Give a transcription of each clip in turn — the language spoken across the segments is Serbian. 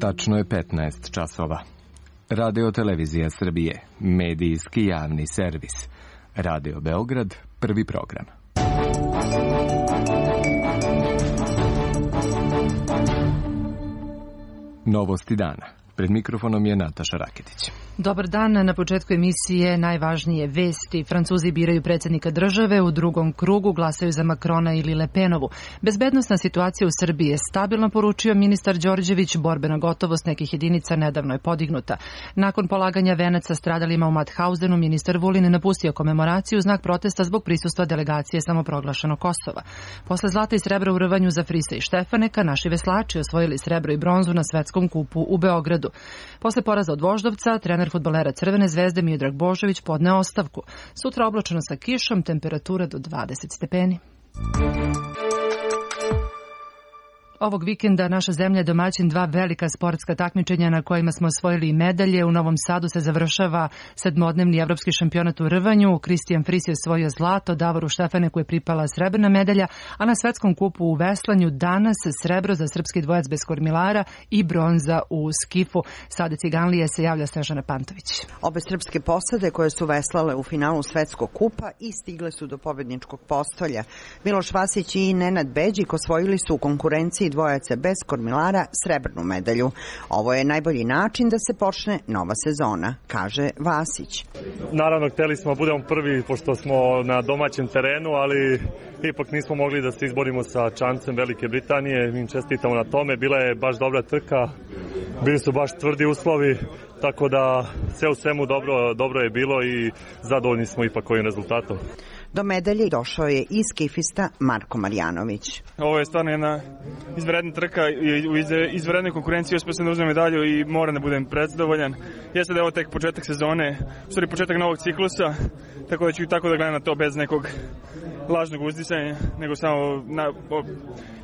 Tačno je 15 časova. Radio Televizija Srbije, medijski javni servis. Radio Beograd, prvi program. Novosti dana. Pred mikrofonom je Nataša Raketić. Dobar dan. Na početku emisije najvažnije vesti. Francuzi biraju predsjednika države, u drugom krugu glasaju za Makrona ili Le Penovu. Bezbednosna situacija u Srbiji je stabilna, poručio ministar Đorđević. Borbena gotovost nekih jedinica nedavno je podignuta. Nakon polaganja venaca stradalima u Mathausenu, ministar Vulin napustio komemoraciju u znak protesta zbog prisustva delegacije samoproglašenog Kosova. Posle zlata i srebra u rvanju za Frisa i Štefaneka, naši veslači osvojili srebro i bronzu na svetskom kupu u Beogradu. Posle poraza od Voždovca, trener fudbalera Crvene zvezde Miodrag Božović podneo ostavku. Sutra oblačno sa kišom, temperatura do 20 stepeni. Ovog vikenda naša zemlja je domaćin dva velika sportska takmičenja na kojima smo osvojili i medalje. U Novom Sadu se završava sedmodnevni evropski šampionat u rvanju. Kristijan Fris je osvojio zlato, Davoru Štefaneku je pripala srebrna medalja, a na svetskom kupu u veslanju danas srebro za srpski dvojac bez kormilara i bronza u skifu. Sada Ciganlije se javlja Snežana Pantović. Obe srpske posade koje su veslale u finalu svetskog kupa i stigle su do pobedničkog postolja. Miloš Vasić i Nenad Beđik osvojili su u konkurenciji dvojaca bez kormilara srebrnu medalju. Ovo je najbolji način da se počne nova sezona, kaže Vasić. Naravno, hteli smo budemo prvi pošto smo na domaćem terenu, ali ipak nismo mogli da se izborimo sa čancem Velike Britanije. Mi im čestitamo na tome. Bila je baš dobra trka, bili su baš tvrdi uslovi, tako da sve u svemu dobro je bilo i zadovoljni smo ipak ovim rezultatom. Do medalje došao je i skifista Marko Marjanović. Ovo je stvarno jedna izvanredna trka i u izvanrednoj konkurenciji uspio sam da uzmem medalju i moram da budem prezadovoljan. Jeste da je ovo tek početak sezone, u stvari početak novog ciklusa, tako da ću tako da gledam na to bez nekog lažnog uzdisanja, nego samo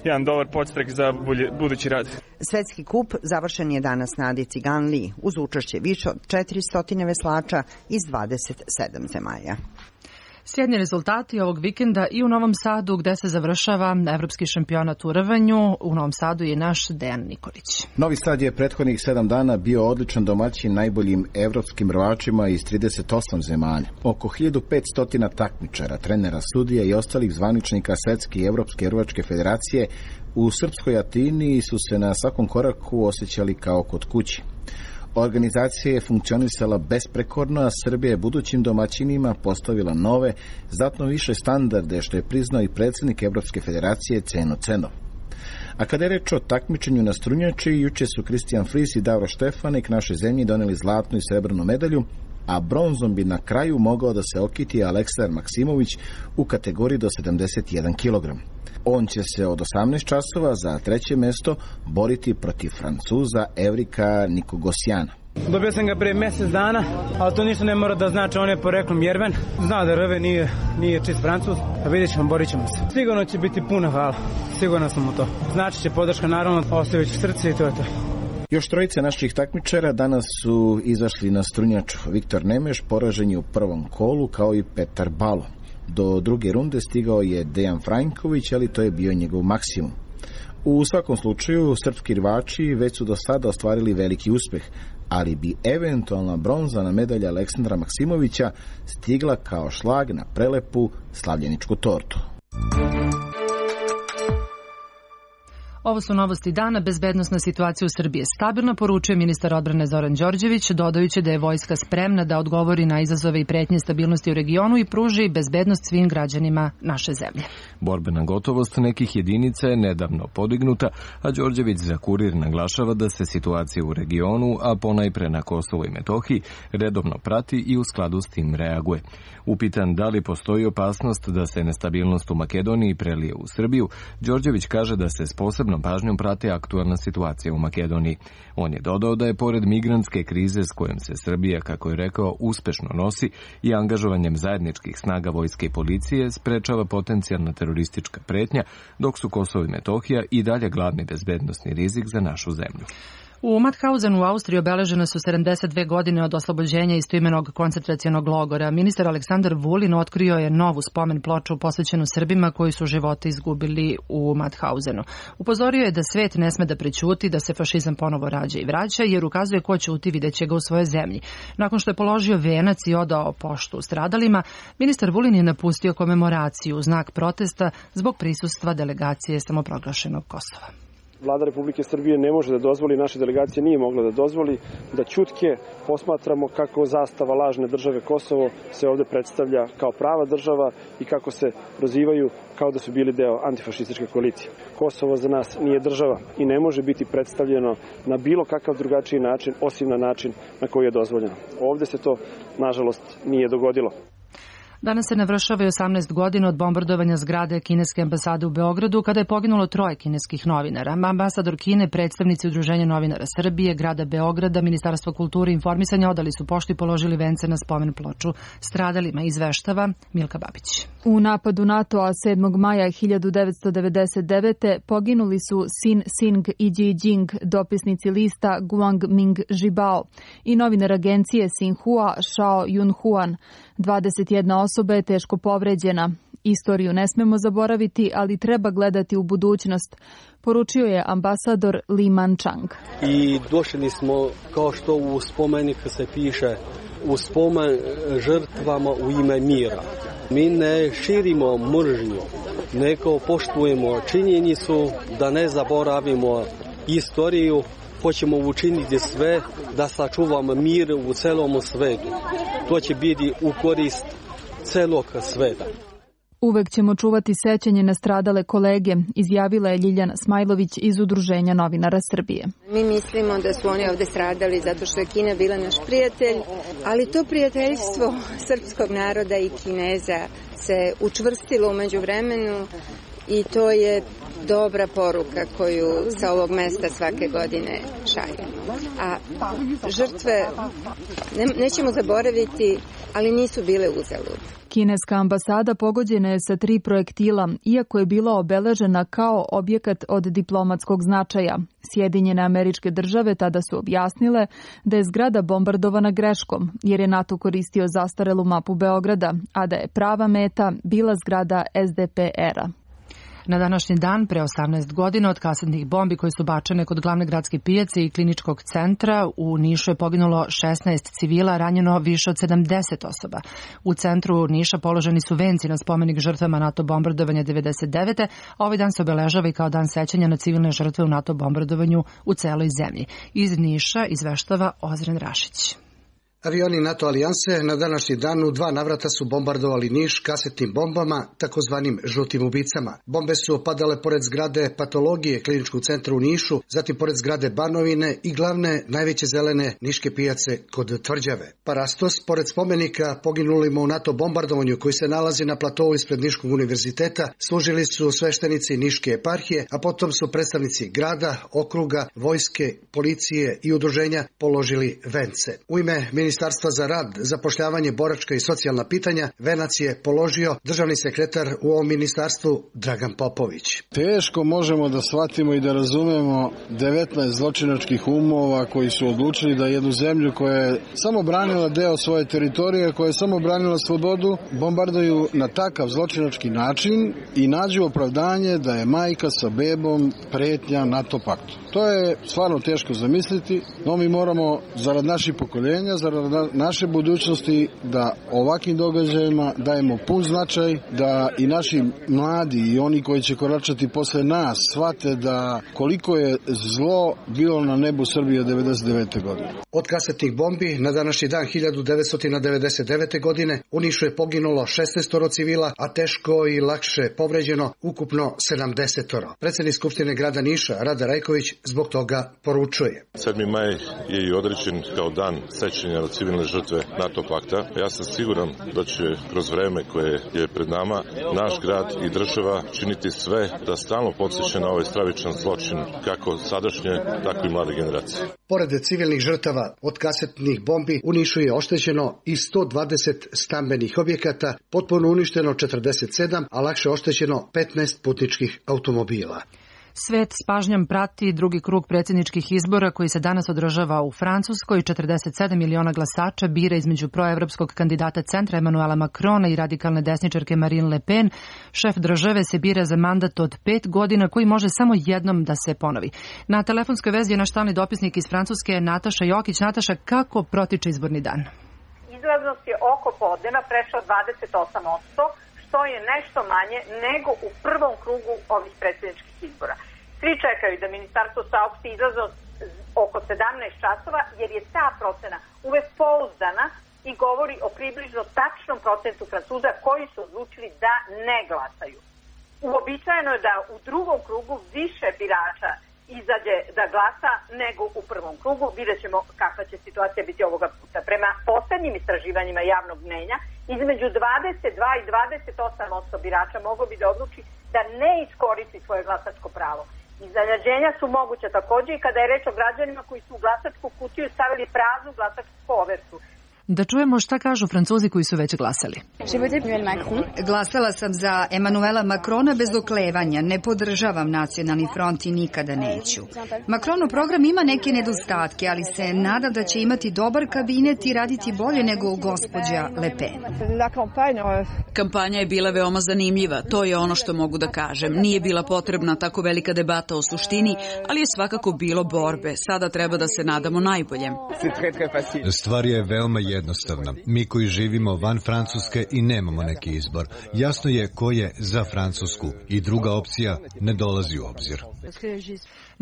jedan dobar podstrek za budući rad. Svetski kup završen je danas na Adi Ciganliji uz učešće više od 400 veslača iz 27 zemalja. Sjedni rezultati ovog vikenda i u Novom Sadu gde se završava evropski šampionat u rvanju. U Novom Sadu je naš Dejan Nikolić. Novi Sad je prethodnih 7 dana bio odličan domaćin najboljim evropskim rvačima iz 38 zemalja. Oko 1500 takmičara, trenera, sudija i ostalih zvaničnika Svetske i Evropske rvačke federacije u srpskoj Atini su se na svakom koraku osjećali kao kod kući. Organizacija je funkcionisala besprekorno, a Srbija je budućim domaćinima postavila nove, znatno više standarde, što je priznao i predsjednik Evropske federacije Ceno Cenov. A kada je reč o takmičenju na strunjači, juče su Kristijan Fris i Davor Štefanek našoj zemlji doneli zlatnu i srebrnu medalju, a bronzom bi na kraju mogao da se okiti Aleksandar Maksimović u kategoriji do 71 kg. On će se od 18 časova za treće mesto boriti protiv Francuza Evrika Nikogosjana. Dobio sam ga pre mjesec dana, ali to ništa ne mora da znači, on je poreklom Jerven. Zna da rve nije čist Francuz, a vidjet ćemo, borit ćemo se. Sigurno će biti puno hvala, sigurno sam u to. Znači će podrška, naravno, ostavit ću srce i to je to. Još trojice naših takmičara danas su izašli na strunjaču. Viktor Nemeš poražen je u prvom kolu, kao i Petar Balo. Do druge runde stigao je Dejan Franjković, ali to je bio njegov maksimum. U svakom slučaju, srpski rvači već su do sada ostvarili veliki uspeh, ali bi eventualna bronzana medalja Aleksandra Maksimovića stigla kao šlag na prelepu slavljeničku tortu. Ovo su novosti dana. Bezbednosna situacija u Srbiji je stabilna, poručuje ministar odbrane Zoran Đorđević, dodajući da je vojska spremna da odgovori na izazove i pretnje stabilnosti u regionu i pruži bezbednost svim građanima naše zemlje. Borbena gotovost nekih jedinica je nedavno podignuta, a Đorđević za Kurir naglašava da se situacija u regionu, a ponajpre na Kosovu i Metohiji, redovno prati i u skladu s tim reaguje. Upitan da li postoji opasnost da se nestabilnost u Makedoniji prelije u Srbiju, Đorđević kaže da se s posebnom pažnjom prati aktualna situacija u Makedoniji. On je dodao da je pored migrantske krize s kojom se Srbija, kako je rekao, uspešno nosi i angažovanjem zajedničkih snaga vojske i policije sprečava potencijalna teroristička pretnja, dok su Kosovo i Metohija i dalje glavni bezbednosni rizik za našu zemlju. U Mauthausenu u Austriji obeležene su 72 godine od oslobođenja istoimenog koncentracionog logora. Ministar Aleksandar Vulin otkrio je novu spomen ploču posvećenu Srbima koji su živote izgubili u Mauthausenu. Upozorio je da svet ne sme da prećuti, da se fašizam ponovo rađa i vraća, jer ukazuje ko ćuti videće ga u svojoj zemlji. Nakon što je položio venac i odao poštu stradalima, ministar Vulin je napustio komemoraciju u znak protesta zbog prisustva delegacije samoproglašenog Kosova. Vlada Republike Srbije ne može da dozvoli, naša delegacija nije mogla da dozvoli da ćutke posmatramo kako zastava lažne države Kosovo se ovde predstavlja kao prava država i kako se prozivaju kao da su bili deo antifašističke koalicije. Kosovo za nas nije država i ne može biti predstavljeno na bilo kakav drugačiji način, osim na način na koji je dozvoljeno. Ovde se to, nažalost, nije dogodilo. Danas se navršava 18 godina od bombardovanja zgrade kineske ambasade u Beogradu, kada je poginulo 3 kineskih novinara. Ambasador Kine, predstavnici Udruženja novinara Srbije, grada Beograda, Ministarstvo kulture i informisanja odali su poštu i položili vence na spomen ploču stradalima, izveštava Milka Babić. U napadu NATO-a 7. maja 1999. poginuli su Sin Sing i Ji Jing, dopisnici lista Guang Ming Zhibao, i novinar agencije Sinhua Shao Yunhuan. 21 osoba je teško povređena. Istoriju ne smemo zaboraviti, ali treba gledati u budućnost, poručio je ambasador Li Manchang. I došli smo, kao što u spomenik se piše, u spomen žrtvama u ime mira. Mi ne širimo mržnju, nego poštujemo činjenicu da ne zaboravimo istoriju. Hoćemo učiniti sve da sačuvamo mir u celom svetu. To će biti u korist celog sveta. Uvek ćemo čuvati sećanje na stradale kolege, izjavila je Ljiljana Smajlović iz Udruženja novinara Srbije. Mi mislimo da su oni ovde stradali zato što je Kina bila naš prijatelj, ali to prijateljstvo srpskog naroda i Kineza se učvrstilo umeđu vremenu i to je dobra poruka koju sa ovog mesta svake godine šaljemo. A žrtve nećemo zaboraviti, ali nisu bile uzalud. Kineska ambasada pogođena je sa 3 projektila, iako je bila obeležena kao objekat od diplomatskog značaja. Sjedinjene Američke Države tada su objasnile da je zgrada bombardovana greškom, jer je NATO koristio zastarelu mapu Beograda, a da je prava meta bila zgrada SDPR-a. Na današnji dan, pre 18 godina, od kasetnih bombi koje su bačene kod glavne gradske pijace i kliničkog centra, u Nišu je poginulo 16 civila, ranjeno više od 70 osoba. U centru Niša položeni su venci na spomenik žrtvama NATO bombardovanja 99. a ovaj dan se obeležava i kao dan sećanja na civilne žrtve u NATO bombardovanju u celoj zemlji. Iz Niša izveštava Ozren Rašić. Avioni NATO alijanse na današnji dan u 2 navrata su bombardovali Niš kasetnim bombama, takozvanim žutim ubicama. Bombe su opadale pored zgrade patologije kliničkog centra u Nišu, zatim pored zgrade Banovine i glavne najveće zelene niške pijace kod Tvrđave. Parastos, pored spomenika poginulima u NATO bombardovanju koji se nalazi na platovu ispred Niškog univerziteta, služili su sveštenici Niške eparhije, a potom su predstavnici grada, okruga, vojske, policije i udruženja položili vence. U ime Ministarstva za rad, zapošljavanje, boračka i socijalna pitanja venac je položio državni sekretar u ovom ministarstvu Dragan Popović. Teško možemo da shvatimo i da razumemo 19 zločinačkih umova koji su odlučili da jednu zemlju koja je samo branila deo svoje teritorije, koja je samo branila slobodu, bombarduju na takav zločinački način i nađu opravdanje da je majka sa bebom pretnja NATO paktu. To je stvarno teško zamisliti, no mi moramo zarad naših pokoljenja, zarad naše budućnosti da ovakvim događajima dajemo pun značaj, da i naši mladi i oni koji će koračati posle nas shvate da koliko je zlo bilo na nebu Srbije 99. godine. Od kasetnih bombi na današnji dan 1999. godine u Nišu je poginulo 16 civila, a teško i lakše povređeno ukupno 70. Predsednik Skupštine grada Niša Rada Rajković zbog toga poručuje. 7. maj je i određen kao dan sećanja na civilne žrtve NATO pakta. Ja sam siguran da će kroz vreme koje je pred nama naš grad i država činiti sve da stalno podsjeća na ovaj stravičan zločin kako sadašnje, tako i mlade generacije. Pored civilnih žrtava od kasetnih bombi u Nišu je oštećeno i 120 stambenih objekata, potpuno uništeno 47, a lakše oštećeno 15 putničkih automobila. Svet s pažnjom prati drugi krug predsjedničkih izbora koji se danas održava u Francuskoj. 47 miliona glasača bira između proevropskog kandidata centra Emmanuela Macrona i radikalne desničarke Marine Le Pen. Šef države se bira za mandat od 5 godina koji može samo jednom da se ponovi. Na telefonskoj vezi je naš stalni dopisnik iz Francuske Nataša Jokić. Nataša, kako protiče izborni dan? Izlaznost je oko podneva prešla 28%, što je nešto manje nego u prvom krugu ovih predsjedničkih izbora. Svi čekaju da ministarstvo saopšti izlaznost oko 17 časova, jer je ta procena uvek pouzdana i govori o približno tačnom procentu Francuza koji su odlučili da ne glasaju. Uobičajeno je da u drugom krugu više birača izađe da glasa nego u prvom krugu. Vidjet ćemo kakva će situacija biti ovoga puta. Prema poslednjim istraživanjima javnog mnjenja, između 22 i 28% birača moglo bi da odluči da ne iskoristi svoje glasačko pravo. Iznenađenja su moguća takođe i kada je reč o građanima koji su u glasačku kutiju stavili praznu glasačku kovertu. Da čujemo šta kažu Francuzi koji su već glasali. Glasala sam za Emmanuela Macrona bez oklevanja. Ne podržavam Nacionalni front i nikada neću. Macronov program ima neke nedostatke, ali se nadam da će imati dobar kabinet i raditi bolje nego gospođa Le Pen. Kampanja je bila veoma zanimljiva, to je ono što mogu da kažem. Nije bila potrebna tako velika debata o suštini, ali je svakako bilo borbe. Sada treba da se nadamo najboljem. Stvar je veoma jednostavna. Mi koji živimo van Francuske i nemamo neki izbor. Jasno je ko je za Francusku i druga opcija ne dolazi u obzir.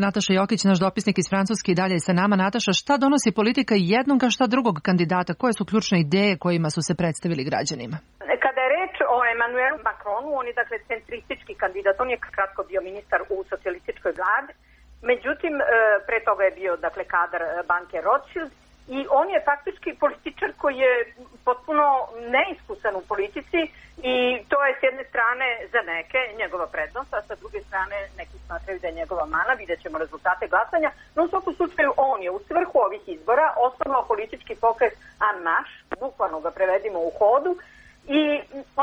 Nataša Jokić, naš dopisnik iz Francuske, i dalje je sa nama. Nataša, šta donosi politika jednog, a šta drugog kandidata? Koje su ključne ideje kojima su se predstavili građanima? Kada je reč o Emmanuelu Macronu, on je dakle centristički kandidat. On je kratko bio ministar u socijalističkoj vladi. Međutim, pre toga je bio dakle kadar banke Rothschild. I on je faktički političar koji je potpuno neiskusan u politici i to je s jedne strane za neke njegova prednost, a sa druge strane neki smatraju da je njegova mana. Vidjet ćemo rezultate glasanja, no u svakom slučaju on je u svrhu ovih izbora osnovao politički pokret En Marche, bukvalno ga prevedimo u hodu, i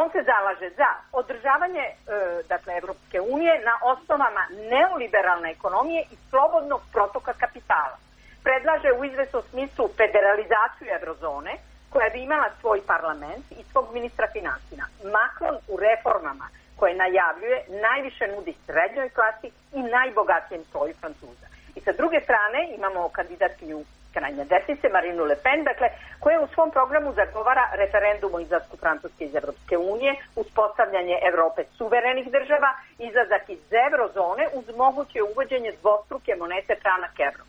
on se zalaže za održavanje dakle Evropske unije na osnovama neoliberalne ekonomije i slobodnog protoka kapitala. Predlaže u izvesnom smislu federalizaciju eurozone, koja bi imala svoj parlament i svog ministra finansija. Macron u reformama koje najavljuje najviše nudi srednjoj klasi i najbogatijem sloju Francuza. I sa druge strane imamo kandidatkinju krajnje desnice, Marinu Le Pen, dakle, koja u svom programu zagovara referendum o izlasku Francuske iz Evropske unije, uspostavljanje Evrope suverenih država, izlazak iz eurozone uz moguće uvođenje dvostruke monete franak evro.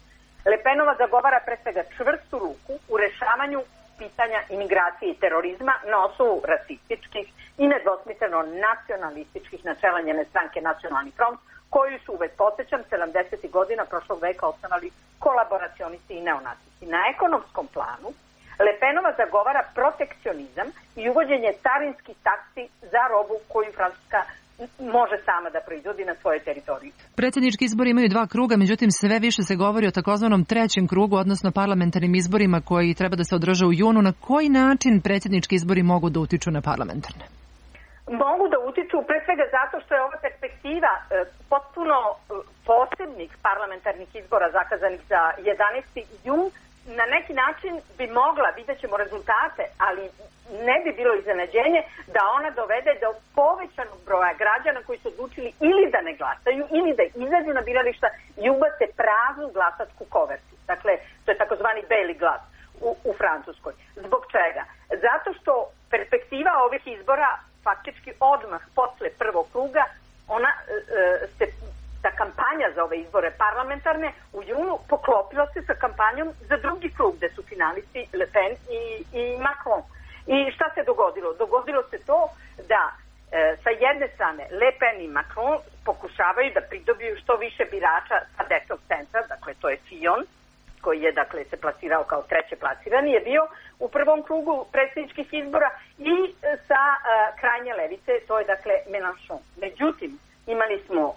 Le Penova zagovara pre svega čvrstu ruku u rešavanju pitanja imigracije i terorizma na osnovu rasističkih i nedvosmisleno nacionalističkih načela njene stranke Nacionalni front, koju su, uvek podsjećam, 70. godina prošlog veka osnovali kolaboracionisti i neonacisti. Na ekonomskom planu Le Penova zagovara protekcionizam i uvođenje carinskih taksi za robu koju Francuska može sama da proizvodi na svojoj teritoriji. Predsjednički izbori imaju 2 kruga, međutim sve više se govori o takozvanom 3. krugu, odnosno parlamentarnim izborima koji treba da se održe u junu. Na koji način predsjednički izbori mogu da utiču na parlamentarne? Mogu da utiču pre svega zato što je ova perspektiva potpuno posebnih parlamentarnih izbora zakazanih za 11. jun. Na neki način bi mogla, vidjet ćemo rezultate, ali ne bi bilo iznenađenje da ona dovede do povećanog broja građana koji su odlučili ili da ne glasaju ili da izađu na birališta i ubace praznu glasačku kovertu. Dakle, to je takozvani beli glas u Francuskoj. Zbog čega? Zato što perspektiva ovih izbora faktički odmah posle prvog kruga, ona ta kampanja za ove izbore parlamentarne u junu poklopila se sa kampanjom za drugi krug, gde su finalisti Le Pen i Macron. I šta se dogodilo? Dogodilo se to da sa jedne strane Le Pen i Macron pokušavaju da pridobiju što više birača sa desnog centra, dakle to je Fillon, koji je dakle se plasirao kao treće plasirani, je bio u prvom krugu predsjedničkih izbora, i sa krajnje levice, to je dakle Mélenchon. Međutim, imali smo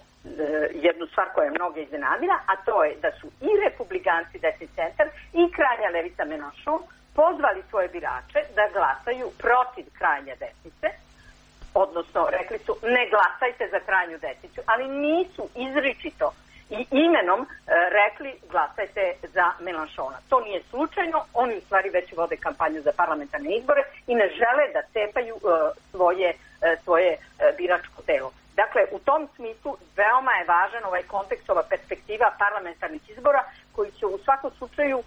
jednu stvar koja je mnoge iznenadila, a to je da su i republikanci desni centar i krajnja levica Mélenchon pozvali svoje birače da glasaju protiv krajnje desnice odnosno rekli su ne glasajte za krajnju desnicu, ali nisu izričito i imenom rekli glasajte za Mélenchona. To nije slučajno, oni u stvari već vode kampanju za parlamentarne izbore i ne žele da cepaju svoje biračko telo. Dakle, u tom smislu veoma je važan ovaj kontekst, ova perspektiva parlamentarnih izbora koji će u svakom slučaju,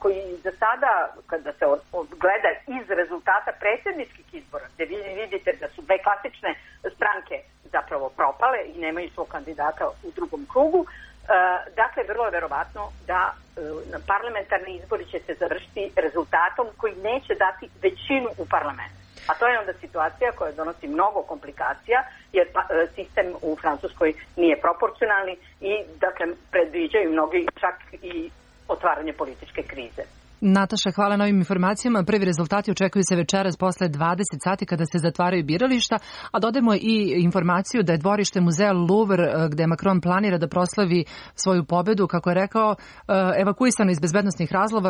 koji za sada, kada se gleda iz rezultata predsjedničkih izbora, gde vi vidite da su dve klasične stranke zapravo propale i nemaju svog kandidata u drugom krugu, dakle, vrlo je verovatno da parlamentarni izbori će se završiti rezultatom koji neće dati većinu u parlamentu. A to je onda situacija koja donosi mnogo komplikacija, jer sistem u Francuskoj nije proporcionalni i, dakle, predviđaju mnogi čak i otvaranje političke krize. Nataša, hvala na ovim informacijama. Prvi rezultati očekuju se večeras posle 20 sati kada se zatvaraju birališta, a dodajemo i informaciju da je dvorište muzeja Louvre, gde Macron planira da proslavi svoju pobedu, kako je rekao, evakuisano iz bezbednosnih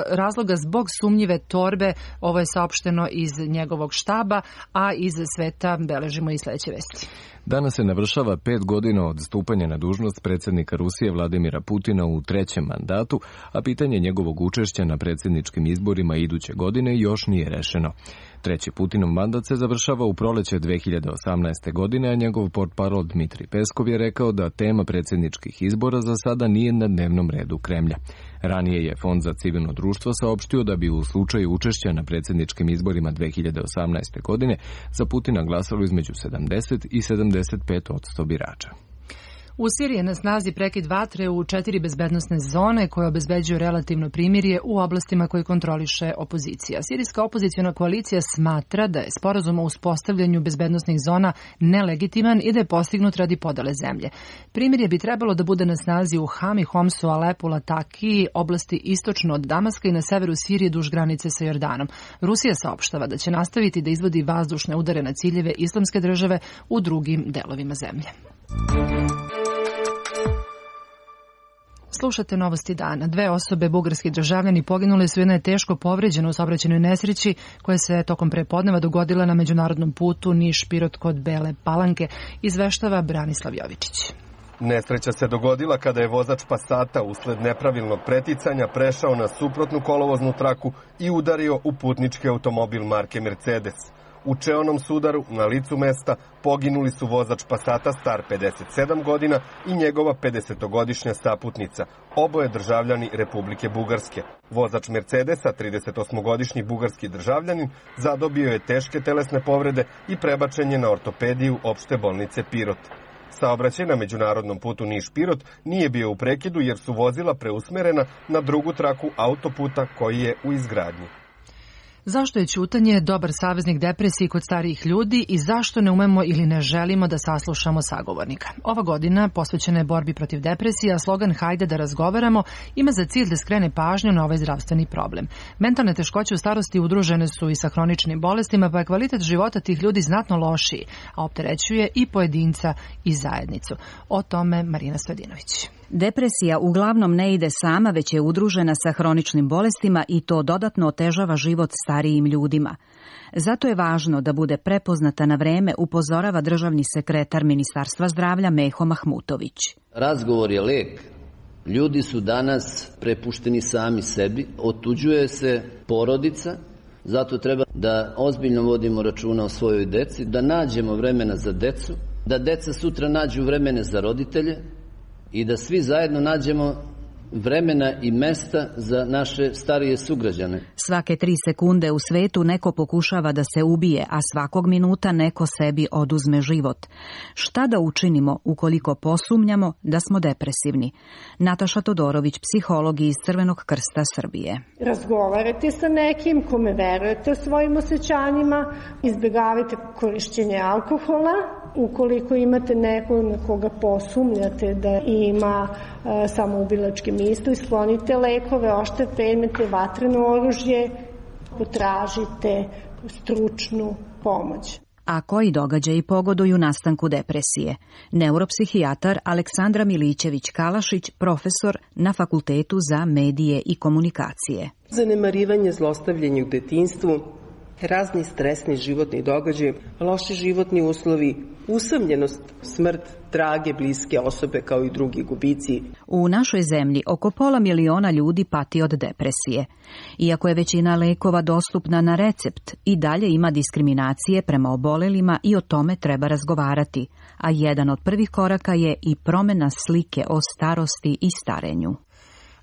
razloga zbog sumnjive torbe. Ovo je saopšteno iz njegovog štaba, a iz sveta beležimo i sledeće vesti. Danas se navršava 5 godina od stupanja na dužnost predsjednika Rusije Vladimira Putina u trećem mandatu, a pitanje njegovog učešća na predsjedničkim izborima iduće godine još nije rešeno. Treći Putinov mandat se završava u proleće 2018. godine, a njegov portparol Dmitrij Peskov je rekao da tema predsjedničkih izbora za sada nije na dnevnom redu Kremlja. Ranije je Fond za civilno društvo saopštio da bi u slučaju učešća na predsjedničkim izborima 2018. godine za Putina glasalo između 70 i 75% birača. U Siriji je na snazi prekid vatre u 4 bezbednosne zone koje obezbeđuju relativno primirje u oblastima koje kontroliše opozicija. Sirijska opozicijona koalicija smatra da je sporazum o uspostavljanju bezbednosnih zona nelegitiman i da je postignut radi podele zemlje. Primirje bi trebalo da bude na snazi u Hami, Homsu, Alepu, Latakiji, oblasti istočno od Damaska i na severu Sirije duž granice sa Jordanom. Rusija saopštava da će nastaviti da izvodi vazdušne udare na ciljeve Islamske države u drugim delovima zemlje. Slušate novosti dana. 2 osobe, bugarski državljani, poginuli su, jedna je teško povređena u saobraćajnoj nesreći koja se tokom prepodneva dogodila na međunarodnom putu Niš-Pirot kod Bele Palanke, izveštava Branislav Jovičić. Nesreća se dogodila kada je vozač Passata usled nepravilnog preticanja prešao na suprotnu kolovoznu traku i udario u putnički automobil marke Mercedes. U čeonom sudaru na licu mesta poginuli su vozač Passata star 57 godina i njegova 50-godišnja saputnica, oboje državljani Republike Bugarske. Vozač Mercedesa, 38-godišnji bugarski državljanin, zadobio je teške telesne povrede i prebačen je na ortopediju opšte bolnice Pirot. Saobraćaj na međunarodnom putu Niš-Pirot nije bio u prekidu jer su vozila preusmerena na drugu traku autoputa koji je u izgradnji. Zašto je ćutanje dobar saveznik depresiji kod starijih ljudi i zašto ne umemo ili ne želimo da saslušamo sagovornika? Ova godina posvećena je borbi protiv depresije, a slogan Hajde da razgovaramo ima za cilj da skrene pažnju na ovaj zdravstveni problem. Mentalne teškoće u starosti udružene su i sa hroničnim bolestima, pa je kvalitet života tih ljudi znatno lošiji, a opterećuje i pojedinca i zajednicu. O tome Marina Stojadinović. Depresija uglavnom ne ide sama, već je udružena sa hroničnim bolestima i to dodatno otežava život starijim ljudima. Zato je važno da bude prepoznata na vreme, upozorava državni sekretar Ministarstva zdravlja Meho Mahmutović. Razgovor je lek. Ljudi su danas prepušteni sami sebi, otuđuje se porodica, zato treba da ozbiljno vodimo računa o svojoj deci, da nađemo vremena za decu, da deca sutra nađu vremene za roditelje, i da svi zajedno nađemo vremena i mesta za naše starije sugrađane. Svake 3 sekunde u svetu neko pokušava da se ubije, a svakog minuta neko sebi oduzme život. Šta da učinimo ukoliko posumnjamo da smo depresivni? Nataša Todorović, psiholog iz Crvenog krsta Srbije. Razgovarajte sa nekim kome verujete o svojim osjećanjima, izbjegavajte korišćenje alkohola. Ukoliko imate nekog na koga posumnjate da ima samoubilačke misli, sklonite lekove, oštre predmete, vatreno oružje, potražite stručnu pomoć. A koji događaji pogoduju nastanku depresije? Neuropsihijatar Aleksandra Milićević-Kalašić, profesor na Fakultetu za medije i komunikacije. Zanemarivanje, zlostavljanje u detinjstvu, razni stresni životni događaji, loši životni uslovi, usamljenost, smrt drage bliske osobe kao i drugi gubici. U našoj zemlji oko 500.000 ljudi pati od depresije. Iako je većina lekova dostupna na recept, i dalje ima diskriminacije prema obolelima i o tome treba razgovarati, a jedan od prvih koraka je i promjena slike o starosti i starenju.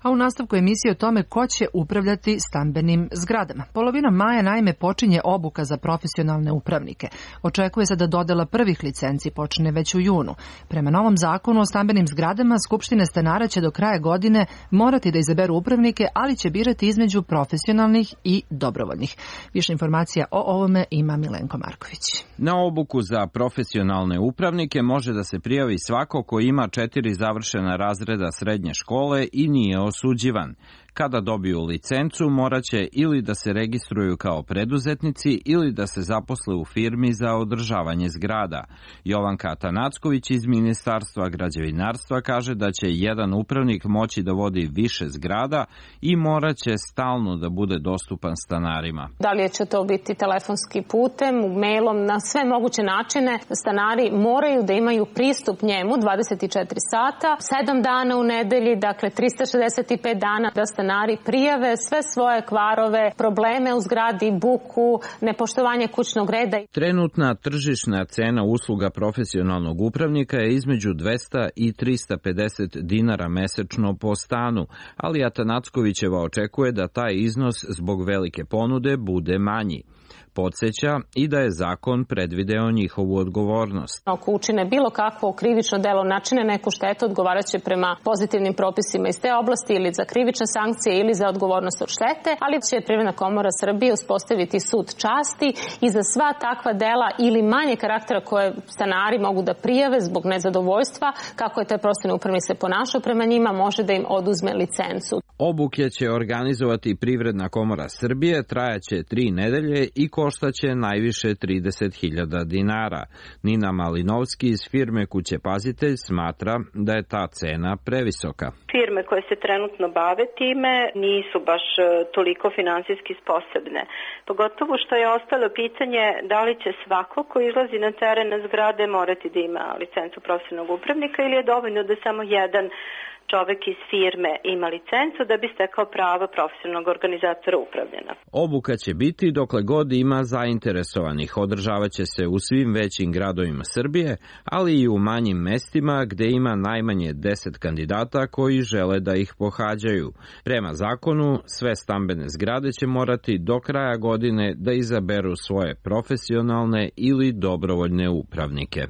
A u nastavku emisije o tome ko će upravljati stambenim zgradama. Polovinom maja naime počinje obuka za profesionalne upravnike. Očekuje se da dodela prvih licenci počne već u junu. Prema novom zakonu o stambenim zgradama, skupštine stanara će do kraja godine morati da izaberu upravnike, ali će birati između profesionalnih i dobrovoljnih. Više informacija o ovome ima Milenko Marković. Na obuku za profesionalne upravnike može da se prijavi svako ko ima 4 završena razreda srednje škole i nije osuđivan. Kada dobiju licencu, moraće ili da se registruju kao preduzetnici ili da se zaposle u firmi za održavanje zgrada. Jovanka Atanacković iz Ministarstva građevinarstva kaže da će jedan upravnik moći da vodi više zgrada i moraće stalno da bude dostupan stanarima. Da li će to biti telefonski putem, mailom, na sve moguće načine, stanari moraju da imaju pristup njemu 24 sata, 7 dana u nedelji, dakle 365 dana da stanari prijave sve svoje kvarove, probleme u zgradi, buku, nepoštovanje kućnog reda. Trenutna tržišna cena usluga profesionalnog upravnika je između 200 i 350 dinara mesečno po stanu, ali Atanackovićeva očekuje da taj iznos zbog velike ponude bude manji. Podseća i da je zakon predvideo njihovu odgovornost. Ako učine bilo kakvo krivično delo, načine neku štetu, odgovarat će prema pozitivnim propisima iz te oblasti ili za krivične sankcije ili za odgovornost od štete, ali će Privredna komora Srbije uspostaviti sud časti i za sva takva dela ili manje karaktera koje stanari mogu da prijave zbog nezadovoljstva, kako je taj profesionalni upravnik se ponašao prema njima, može da im oduzme licencu. Obuke će organizovati Privredna komora Srbije, trajaće 3 nedelje i koštaće najviše 30.000 dinara. Nina Malinovski iz firme Kuće Pazitelj smatra da je ta cena previsoka. Firme koje se trenutno bave time nisu baš toliko finansijski sposobne. Pogotovo što je ostalo pitanje da li će svako ko izlazi na teren na zgrade morati da ima licencu profesionalnog upravnika ili je dovoljno da samo jedan čovek iz firme ima licencu da bi stekao pravo profesionalnog organizatora upravljanja. Obuka će biti dokle god ima zainteresovanih. Održavaće se u svim većim gradovima Srbije, ali i u manjim mestima gde ima najmanje 10 kandidata koji žele da ih pohađaju. Prema zakonu, sve stambene zgrade će morati do kraja godine da izaberu svoje profesionalne ili dobrovoljne upravnike.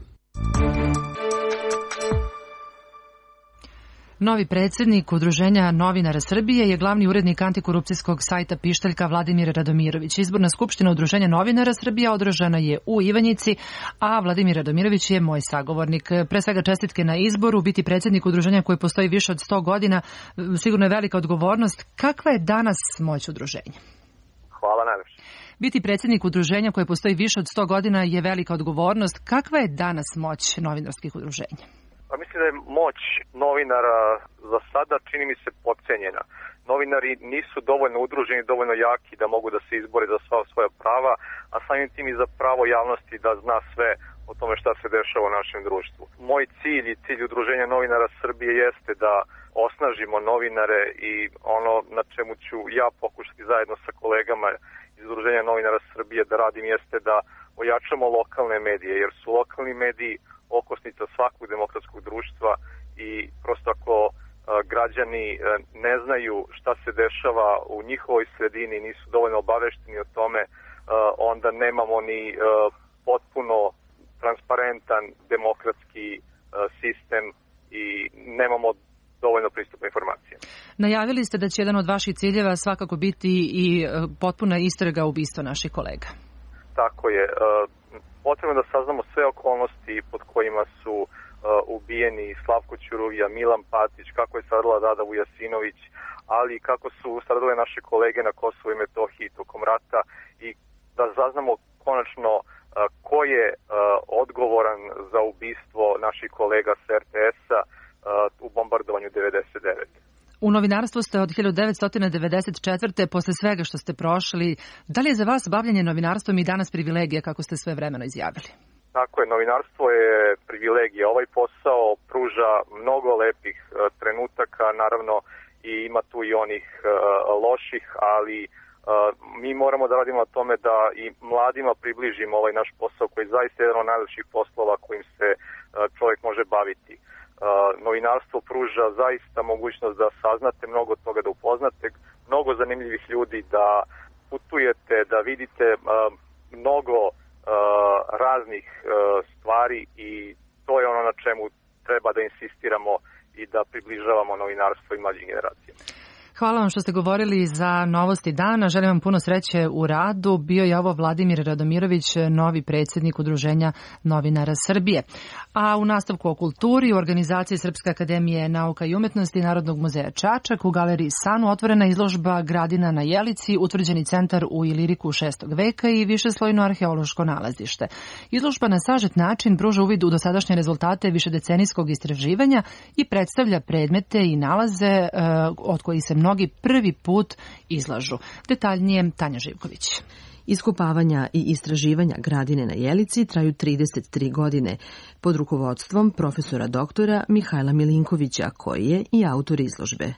Novi predsjednik Udruženja novinara Srbije je glavni urednik antikorupcijskog sajta Pištaljka Vladimir Radomirović. Izborna skupština Udruženja novinara Srbije održana je u Ivanjici, a Vladimir Radomirović je moj sagovornik. Pre svega čestitke na izboru, biti predsjednik udruženja koji postoji više od 100 godina, sigurno je velika odgovornost. Kakva je danas moć udruženja? Hvala najlepše. Biti predsjednik udruženja koje postoji više od 100 godina je velika odgovornost. Kakva je danas moć novinarskih udruženja? Pa mislim da je moć novinara za sada čini mi se podcenjena. Novinari nisu dovoljno udruženi, dovoljno jaki da mogu da se izbore za sva svoja prava, a samim tim i za pravo javnosti da zna sve o tome šta se dešava u našem društvu. Moj cilj i cilj Udruženja novinara Srbije jeste da osnažimo novinare i ono na čemu ću ja pokušati zajedno sa kolegama iz Udruženja novinara Srbije da radim jeste da ojačamo lokalne medije, jer su lokalni mediji okosnica svakog demokratskog društva i prosto ako građani ne znaju šta se dešava u njihovoj sredini, nisu dovoljno obavešteni o tome, onda nemamo ni potpuno transparentan demokratski sistem i nemamo dovoljno pristupa informacija. Najavili ste da će jedan od vaših ciljeva svakako biti i potpuna istraga ubistva naših kolega. Tako je. Potrebno da saznamo sve okolnosti pod kojima su ubijeni Slavko Ćuruvija, Milan Patić, kako je stradala Rada Vujasinović, ali kako su stradale naše kolege na Kosovu i Metohiji tokom rata i da saznamo konačno ko je odgovoran za ubistvo naših kolega s RTS-a u bombardovanju 99. U novinarstvu ste od 1994. posle svega što ste prošli. Da li je za vas bavljanje novinarstvom i danas privilegija, kako ste sve vremeno izjavili? Tako je, novinarstvo je privilegija. Ovaj posao pruža mnogo lepih trenutaka, naravno i ima tu i onih loših, ali mi moramo da radimo na tome da i mladima približimo ovaj naš posao koji je zaista jedan od najlepših poslova kojim se čovjek može baviti. Novinarstvo pruža zaista mogućnost da saznate mnogo toga, da upoznate mnogo zanimljivih ljudi, da putujete, da vidite mnogo raznih stvari i to je ono na čemu treba da insistiramo i da približavamo novinarstvo i mlađim generacijama. Hvala vam što ste govorili za novosti dana. Želim vam puno sreće u radu. Bio je ovo Vladimir Radomirović, novi predsjednik Udruženja novinara Srbije. A u nastavku o kulturi, u organizaciji Srpske akademije nauka i umetnosti Narodnog muzeja Čačak u galeriji Sanu otvorena izložba Gradina na Jelici, utvrđeni centar u Iliriku 6. veka i višeslojno arheološko nalazište. Izložba na sažet način pruža uvid u dosadašnje rezultate višedecenijskog istraživanja i predstavlja predmete i nalaze od kojih se mnogi prvi put izlažu. Detaljnije Tanja Živković. Iskopavanja i istraživanja Gradine na Jelici traju 33 godine pod rukovodstvom profesora doktora Mihajla Milinkovića, koji je i autor izložbe.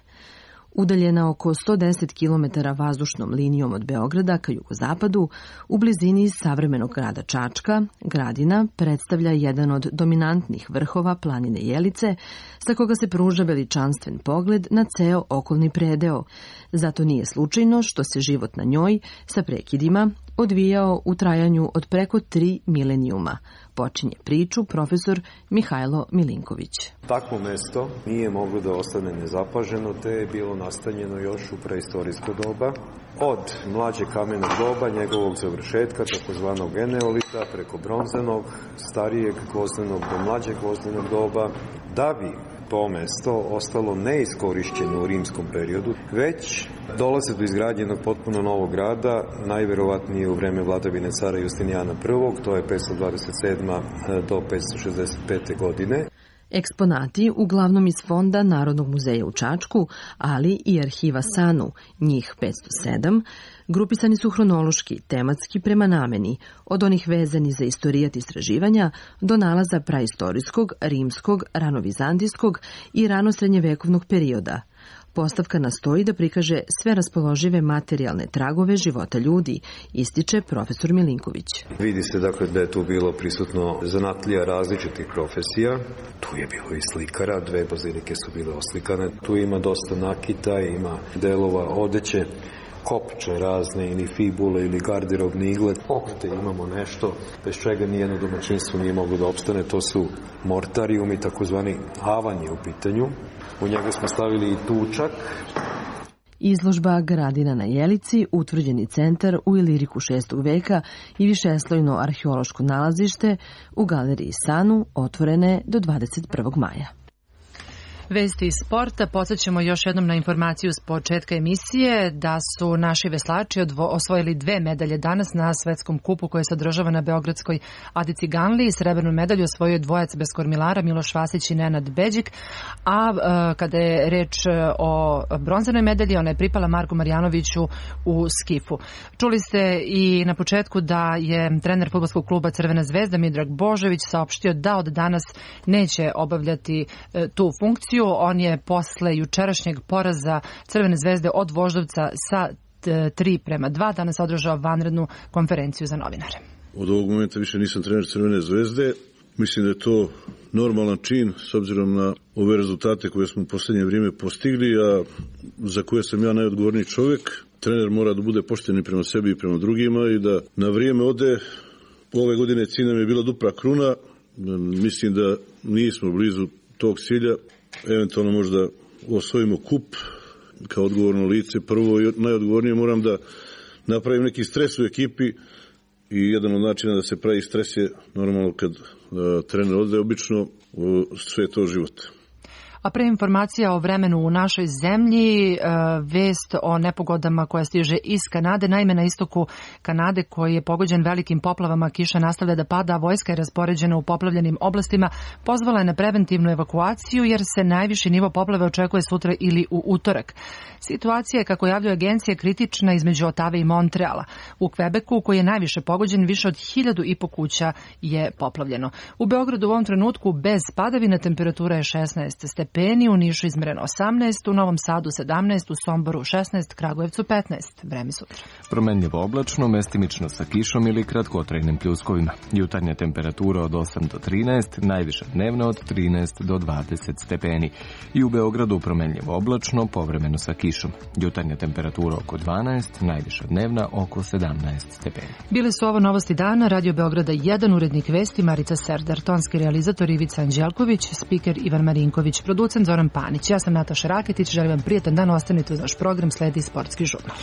Udaljena oko 110 km vazdušnom linijom od Beograda ka jugozapadu, u blizini savremenog grada Čačka, Gradina predstavlja jedan od dominantnih vrhova planine Jelice, sa koga se pruža veličanstven pogled na ceo okolni predeo. Zato nije slučajno što se život na njoj, sa prekidima, odvijao u trajanju od preko 3 milenijuma. Počinje priču profesor Mihajlo Milinković. Takvo mesto nije moglo da ostane nezapaženo, te je bilo nastanjeno još u preistorijsko doba. Od mlađe kamenog doba, njegovog završetka, takozvanog eneolita, preko bronzanog, starijeg gvozdenog do mlađeg gvozdenog doba, da bi to mesto ostalo neiskorišćeno u rimskom periodu, već dolaze do izgrađenog potpuno novog grada, najverovatnije u vreme vladavine cara Justinijana I, to je 527. do 565. godine. Eksponati uglavnom iz fonda Narodnog muzeja u Čačku, ali i arhiva Sanu, njih 507, grupisani su hronološki, tematski prema nameni, od onih vezani za istorijat istraživanja do nalaza praistorijskog, rimskog, ranovizantijskog i ranosrednjevekovnog perioda. Postavka nastoji da prikaže sve raspoložive materijalne tragove života ljudi, ističe profesor Milinković. Vidi se dakle da je tu bilo prisutno zanatlija različitih profesija. Tu je bilo i slikara, 2 bazilike su bile oslikane. Tu ima dosta nakita, ima delova odeće, kopče razne ili fibule ili garderobni iglet. Ovde imamo nešto bez čega nijedno domaćinstvo nije moglo da opstane. To su mortarijumi, takozvani havan je u pitanju. U njega smo stavili i tučak. Izložba Gradina na Jelici, utvrđeni centar u Iliriku 6. veka i višeslojno arheološko nalazište u galeriji Sanu otvorene do 21. maja. Vesti iz sporta. Podsjećamo još jednom na informaciju s početka emisije da su naši veslači osvojili 2 medalje danas na svetskom kupu koji se održava na beogradskoj Adi Ciganliji. Srebrnu medalju osvojio dvojac bez kormilara Miloš Vasić i Nenad Beđik, a kada je reč o bronzanoj medalji, ona je pripala Marku Marjanoviću u skifu. Čuli ste i na početku da je trener fudbalskog kluba Crvena zvezda Miodrag Božović saopštio da od danas neće obavljati tu funkciju. On je posle jučerašnjeg poraza Crvene zvezde od Voždovca sa 3-2 danas održao vanrednu konferenciju za novinare. Od ovog momenta više nisam trener Crvene zvezde. Mislim da je to normalan čin s obzirom na ove rezultate koje smo u poslednje vrijeme postigli, a za koje sam ja najodgovorniji čovjek. Trener mora da bude pošten i prema sebi i prema drugima i da na vrijeme ode. Ove godine cilj nam je bila dupla kruna. Mislim da nismo blizu tog cilja. Eventualno možda osvojimo kup kao odgovorno lice. Prvo i najodgovornije moram da napravim neki stres u ekipi i jedan od načina da se pravi stres je normalno kad trener ode, obično sve to život. A pre informacija o vremenu u našoj zemlji, vest o nepogodama koja stiže iz Kanade. Naime, na istoku Kanade, koji je pogođen velikim poplavama, kiša nastavlja da pada, a vojska je raspoređena u poplavljenim oblastima. Pozvala je na preventivnu evakuaciju jer se najviši nivo poplave očekuje sutra ili u utorak. Situacija je, kako javljaju agencije, kritična između Otave i Montreala. U Kvebeku, koji je najviše pogođen, više od 1.500 kuća je poplavljeno. U Beogradu u ovom trenutku bez padavina temperatura je 16 stepeni, u Nišu izmereno 18, u Novom Sadu 17, u Somboru 16, Kragujevcu 15. Vreme sutra. Promenljivo oblačno, mestimično sa kišom ili kratkotrajnim pljuskovima. Jutarnja temperatura od 8 do 13, najviša dnevna od 13 do 20 stepeni. I u Beogradu promenljivo oblačno, povremeno sa kišom. Jutarnja temperatura oko 12, najviša dnevna oko 17 stepeni. Bile su ovo novosti dana, Radio Beograda 1, urednik vesti Marica Serdar, tonski realizator Ivica Anđelković, spiker Ivan Marinković, producent Zoran Panić. Ja sam Nataša Raketić, želim vam prijetan dan, ostanite uz naš program, sledi Sportski žurnal.